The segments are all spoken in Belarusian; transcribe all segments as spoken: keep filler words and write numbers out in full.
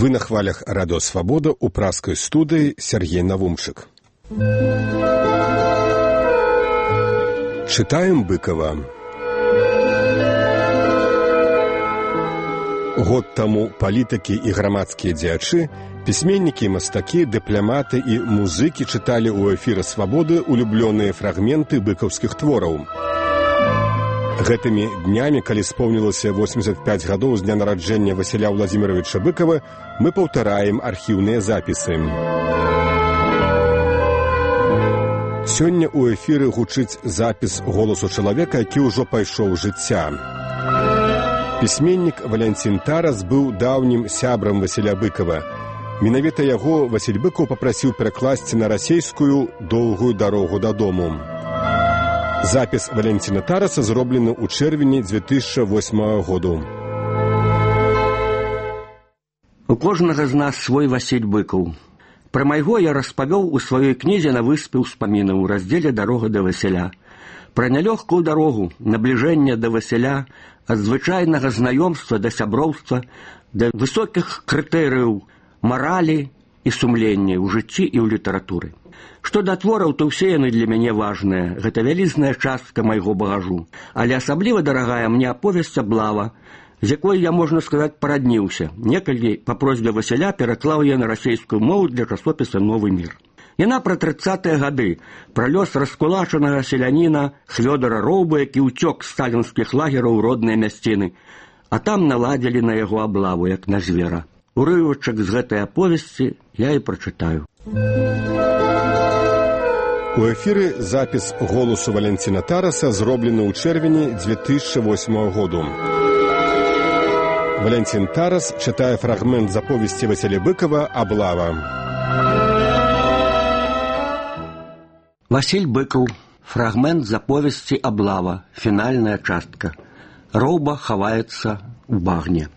Вы на хвалях Радио Свобода у пражской студии Сергей Навумчик. Читаем Быкова. Год таму палітыкі і грамадскія дзеячы, пісьменнікі, мастакі, дыпламаты і музыкі чыталі ў эфіры Свабоды улюблёныя фрагменты быкаўскіх твораў. Гэтымі днямі, калі споўнілася восемьдесят пять гадоў з дня нараджэння Васіля Владзіміровича Быкова, мы паўтараем архіўныя запісы. Сёння ў эфіры гучыць запіс голасу чалавека, які ўжо пайшоў жыцця. Пісьменнік Валянцін Тарас быў даўнім сябрам Васіля Быкова. Менавіта яго Васіль Быкаў папрасіў перакласці на расейскую «Доўгую дарогу дадому». Запіс Валянціна Тараса зроблены ў чэрвені две тысячи восьмага году. У кожнага з нас свой Васіль Быкаў. Пра майго я распавёў у сваёй кнізе «На выспе ўспамінаў» у раздзеле «Дарога да Васіля». Пра нялёгкую дарогу, набліжэнне да Васіля, ад звычайнага знаёмства да сяброўства, да высокіх крытэрыяў маралі і сумлення ў жыцці і ў літаратуры. Што да твораў, то ўсе яны для мяне важныя. Гэта вялізная частка майго багажу. Але асабліва дарагая мне аповесць «Аблава», з якой я, можна сказаць, парадніўся. Некалькі па просьбе Васіля пераклаў я на расейскую мову для часопіса «Новы мір». Яна пра трыццатыя гады, пра лёс раскулачанага селяніна Хвёдара Роўба, які ўцёк з сталінскіх лагераў у родныя мясціны, а там наладзілі на яго аблаву, як на звера. Урывачак з гэтай аповесці я і прачытаю. У эфіры запіс голасу Валянціна Тараса зроблены ў чэрвені две тысячи восьмага году. Валянцін Тарас чытае фрагмент з аповесці Васіля Быкова «Аблава». Васіль Быкаў. Фрагмент з аповесці «Аблава». Фінальная частка. Роўба хаваецца ў багне.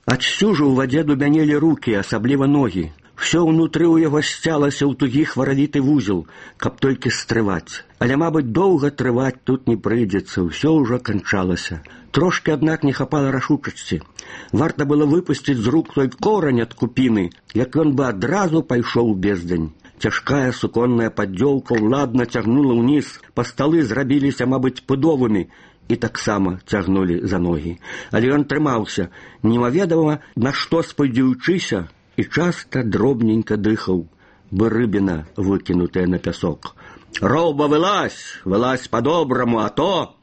Адсюжу ў вадзе дубянелі рукі, асабліва ногі. Всё ўнутры ў яго сцялася ў тугі хваравіты вузел, каб толькі стрываць. Але, мабыць, доўга трываць тут не прыйдзецца, ўсё ўжо канчалася. Трошкі, аднак, не хапала рашучасці. Варта было выпусціць з рук той корань ад купіны, як ён бы адразу пайшоў у бездань. Цяжкая суконная паддзёлка ўладна цягнула ўніз, па сталы зрабіліся, мабыць, пудовымі, і таксама цягнулі за ногі. Але ён трымаўся, немаведама, на што спадзяючыся, і часта дробненька дыхаў, бы рыбіна, выкінутая на пясок. «Роўба, вылазь! Вылазь по-добраму, а то!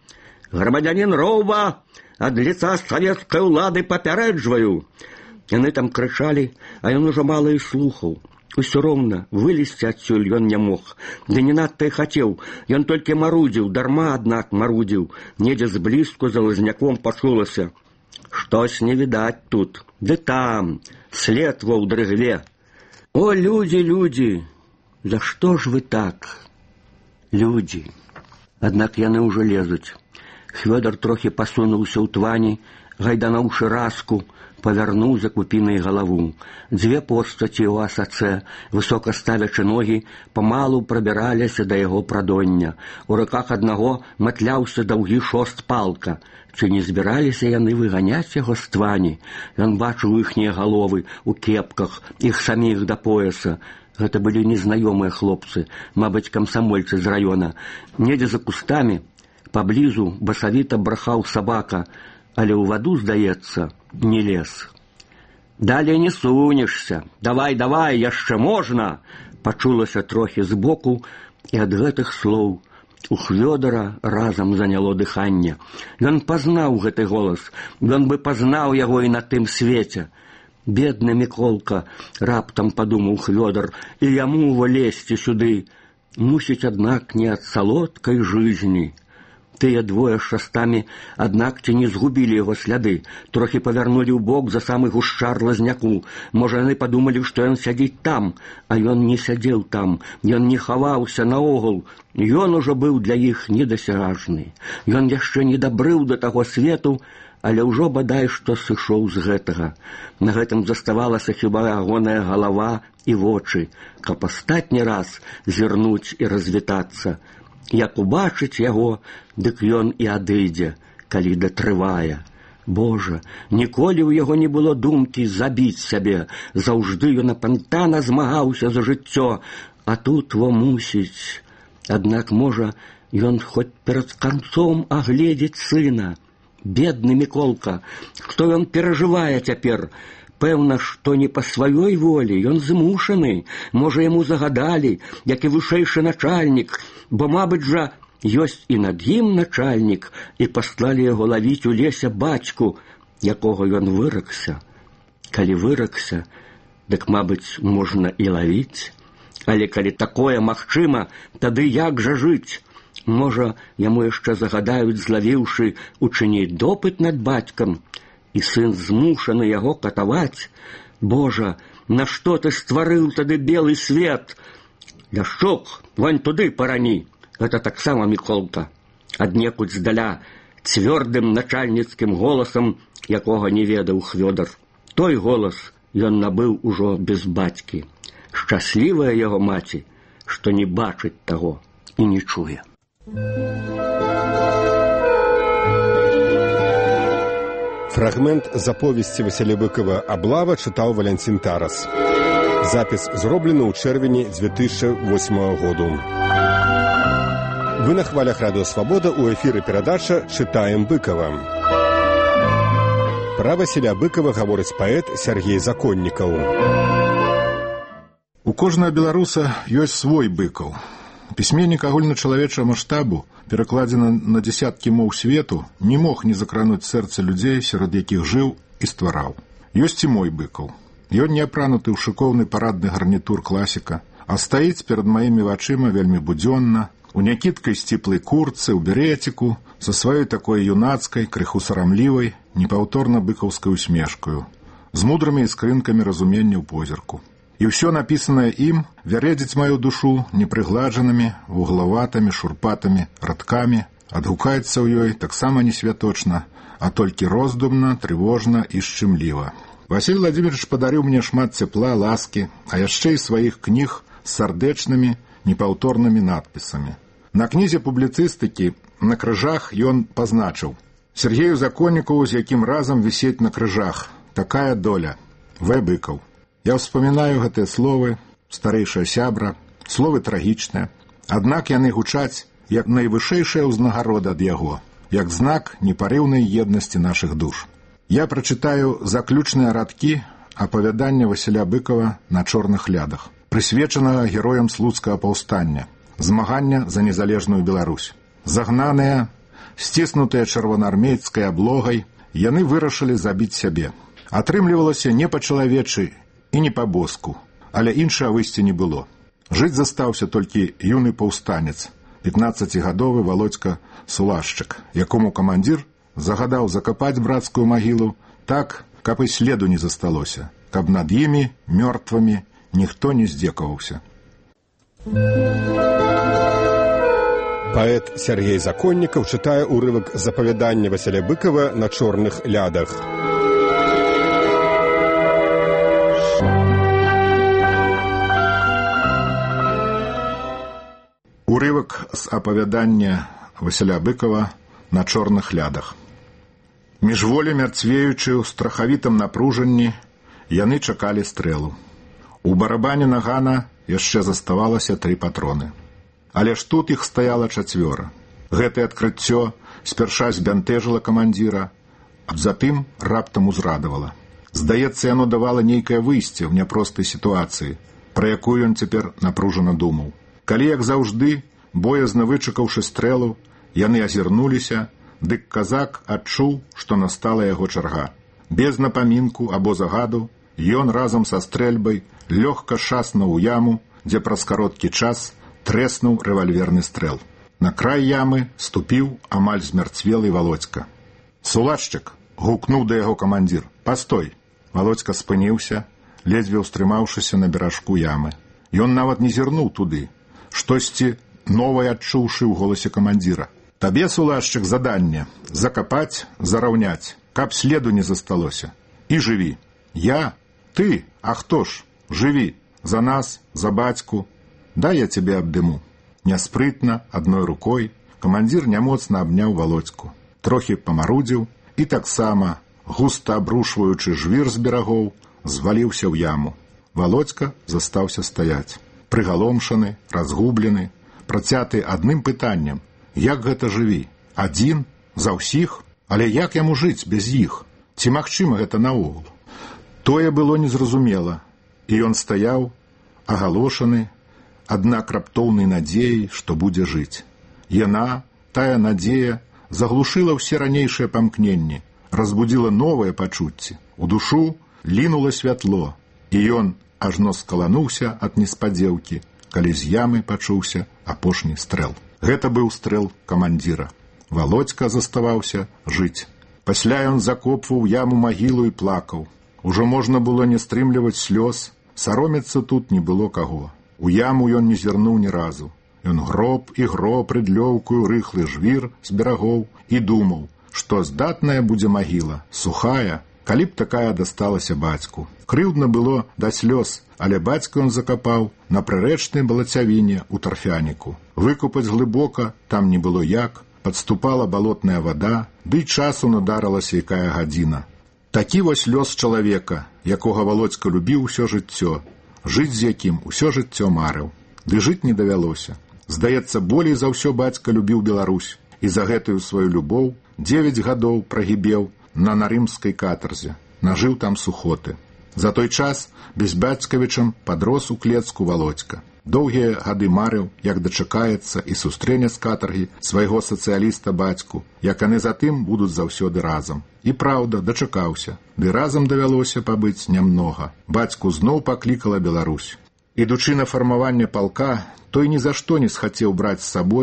Грамадзянін Роўба, ад лица савецкай улады папярэджваю!» Яны там крычалі, а ён ужо мала і слухаў. Усё роўна, вылезці адсюль ён не мог. Ды не надта і хацеў. Ён толькі марудзіў, дарма, аднак, марудзіў. Недзе зблізку за лазняком пачулася. «Штось не відаць тут. Ды там, след во ў дрыгве. О, людзі, людзі! За што ж вы так? Людзі!» Аднак яны ўжо лезуць. Хвёдар трохі пасунуўся ў твані, гайдануўшы раску, павярнуў за купінай галаву. Дзве постаці ў асацэ, высока ставячы ногі, памалу прабіраліся да яго прадоння. У руках аднаго матляўся даўгі шост палка. Ці не збіраліся яны выганяць яго з твані? Ён бачыў іхнія галовы у кепках, іх саміх да пояса. Гэта былі незнаёмыя хлопцы, мабыць, камсамольцы з раёна. Недзе за кустамі, паблізу басавіта брахаў сабака, але ў ваду, здаецца, не лез. «Далей не сунешся! Давай, давай, яшчэ можна!» Пачулася трохі збоку, і ад гэтых слоў у Хвёдара разам заняло дыханне. Ён пазнаў гэты голас, ён бы пазнаў яго і на тым свеце. «Бедны Міколка!» — раптам падумаў Хвёдар, «і яму влезці сюды. Мусіць, аднак, не ад салодкай жизни». Тыя двое з шастамі, аднак, ці не згубілі яго сляды, трохі павярнулі ў бок за самы гушчар лазняку. Можа, яны падумалі, што ён сядзіць там, а ён не сядзеў там, ён не хаваўся наогул. Ён ужо быў для іх недасяжны. Ён яшчэ не дабрыў да таго свету, але ўжо бадай што сышоў з гэтага. На гэтым заставалася хіба ягоная галава і вочы, каб астатні раз зірнуць і развітацца. Як убачыць яго, дык ён і адыдзе, калі датрывае. Божа, ніколі ў яго не было думкі забіць сябе. Заўжды ён апантана змагаўся за жыццё, а тут во мусіць. Аднак, можа, ён хоць перад канцом агледзець сына. Бедны Міколка, што ён перажывае цяпер? Пэўна, што не па сваёй волі, ён змушаны. Можа, яму загадалі, як і вышэйшы начальнік, бо, мабыць жа, ёсць і над ім начальнік, і паслалі яго лавіць у лесе бацьку, якога ён выракся. Калі выракся, дык, мабыць, можна і лавіць. Але калі такое магчыма, тады як жа жыць? Можа, яму яшчэ загадаюць, злавіўшы, учыніць допыт над бацькам, і сын змушаны яго катаваць. Божа, нашто ты стварыў тады белы свет? Ляшчук, вань туды парані. Гэта таксама Міколка. Аднекуль здаля, цвёрдым начальніцкім голасам, якога не ведаў Хвёдар. Той голас ён набыў ужо без бацькі. Шчаслівая яго маці, што не бачыць таго і не чуе. Фрагмент з аповесці Васіля Быкова «Аблава» чытаў Валянцін Тарас. Запіс зроблены ў чэрвені дзве тысячы восьмага году. Вы на хвалях Радыё Свабода, у эфіры перадача «Чытаем Быкова». Пра Васіля Быкова гаворыць паэт Сергей Законнікаў. У кожнага беларуса ёсць свой Быкаў. Пісьменнік агульначалавечага маштабу, перакладзены на дзесяткі моў свету, не мог не закрануць сэрца людзей, сярод якіх жыў і ствараў. Ёсць і мой Быкаў. Ён не апрануты ў шыкоўны парадны гарнітур класіка, а стаіць перад маімі вачыма вельмі будзённа, у някідкай сціплай куртцы, у береціку, са сваёй такой юнацкай, крыху сарамлівай, непаўторна быкаўскай усмешкаю, з мудрымі іскрынкамі разумення ў позірку. І ўсё напісанае ім вярэдзіць маю душу непрыгладжанымі, вуглаватымі, шурпатымі радкамі, адгукаецца ў ёй таксама не святочна, а толькі роздумна, трывожна і шчымліва. Васіль Владимирович падарыў мне шмат цяпла, ласкі, а яшчэ і сваіх кніг з сардэчнымі, непаўторнымі надпісамі. На кнізе публіцыстыкі на крыжах ён пазначыў: Сергею Законнікаву, з якім разам вісець на крыжах. Такая доля. В. Быкаў. Я ўспамінаю гэтыя словы, старэйшая сябра, словы трагічныя, аднак яны гучаць як найвышэйшая ўзнагарода ад яго, як знак непарыўнай еднасці нашых душ. Я прачытаю заключныя радкі апавядання Васіля Быкова «На чорных лядах», прысвечанага героям слуцкага паўстання, змагання за незалежную Беларусь. Загнаныя, сціснутыя чырвонаармейскай аблогай, яны вырашылі забіць сябе. Атрымлівалася не па-чалавечы і не па-боску, але іншага выйсця не было. Жыць застаўся толькі юны паўстанец, пятнаццацігадовы Володька Сулашчык, якому камандзір загадаў закапаць брацкую магілу так, каб і следу не засталося, каб над імі, мёртвымі, ніхто не здзекаваўся. Паэт Сергей Законнікаў чытае ўрывак з апавядання Васіля Быкова «На чорных лядах». Урывак з апавядання Васіля Быкова «На чорных лядах». Міжволі мярцвеючы ў страхавітым напружанні, яны чакалі стрэлу. У барабане нагана яшчэ заставалася тры патроны. Але ж тут іх стаяла чацвёра. Гэтае адкрыццё спярша збянтэжыла камандзіра, а затым раптам узрадавала. Здаецца, яно давала нейкае выйсце ў няпростай сітуацыі, пра якую ён цяпер напружана думаў. Калі, як заўжды, боязна вычакаўшы стрэлу, яны азірнуліся, дык казак адчуў, што настала яго чарга. Без напамінку або загаду ён разам са стрэльбай лёгка шаснуў у яму, дзе праз кароткі час трэснуў рэвальверны стрэл. На край ямы ступіў амаль змярцвелы Володька. «Сулашчык!» — гукнуў да яго камандзір. «Пастой!» Володька спыніўся, ледзьве ўстрымаўшыся на беражку ямы. Ён нават не зірнуў туды, штосьці новае адчуўшы ў голасе камандзіра. «Табе, Сулашчык, заданне — закапаць, зараўняць, каб следу не засталося. І жыві!» «Я? Ты? А хто ж? Жыві! За нас, за бацьку! Дай я цябе абдыму!» Няспрытна, адной рукой, камандзір нямоцна абняў Володьку. Трохі памарудзіў і таксама, густа абрушваючы жвір з берагоў, зваліўся ў яму. Володька застаўся стаяць. Прыгаломшаны, разгублены, працяты адным пытаннем: як гэта жыві? Адзін? За ўсіх? Але як яму жыць без іх? Ці магчыма гэта наогул? Тое было незразумела, і ён стаяў, агалошаны, аднак раптоўнай надзеяй, што будзе жыць. Яна, тая надзея, заглушыла ўсе ранейшыя памкненні, разбудзіла новыя пачуцці. У душу лінула святло, і ён ажно скалануўся ад неспадзеўкі, калі з ямы пачуўся апошні стрэл. Гэта быў стрэл камандзіра. Володька заставаўся жыць. Пасля ён закопваў яму магілу і плакаў. Ужо можна было не стрымліваць слёз, саромецца тут не было каго. У яму ён не зірнуў ні разу. Ён гроб і гроб рыдлёўкую рыхлы жвір з берагоў і думаў, што здатная будзе магіла, сухая, калі б такая дасталася бацьку. Крыўдна было да слёз, але бацьку ён закапаў на прырэчнай балацявіне ў тарфяніку. Выкупаць глыбока там не было як, падступала балотная вада, ды часу надарылася якая гадзіна. Такі вось лёс чалавека, якога Володька любіў усё жыццё, жыць з якім усё жыццё марыў. Ды жыць не давялося. Здаецца, болей за ўсё бацька любіў Беларусь, і за гэтую сваю любоў дзевяць гадоў прагібеў на нарымскай катарзе, нажыў там сухоты. За той час без бацькавічам падрос у клецку Володька. Доўгія гады марыў, як дачакаецца і сустрэне з катаргі свайго сацыяліста бацьку, як яны затым будуць заўсёды разам. І праўда, дачакаўся, ды разам давялося пабыць нямнога. Бацьку зноў паклікала Беларусь. Ідучы на фармаванне палка, той ні за што не схацеў браць з сабой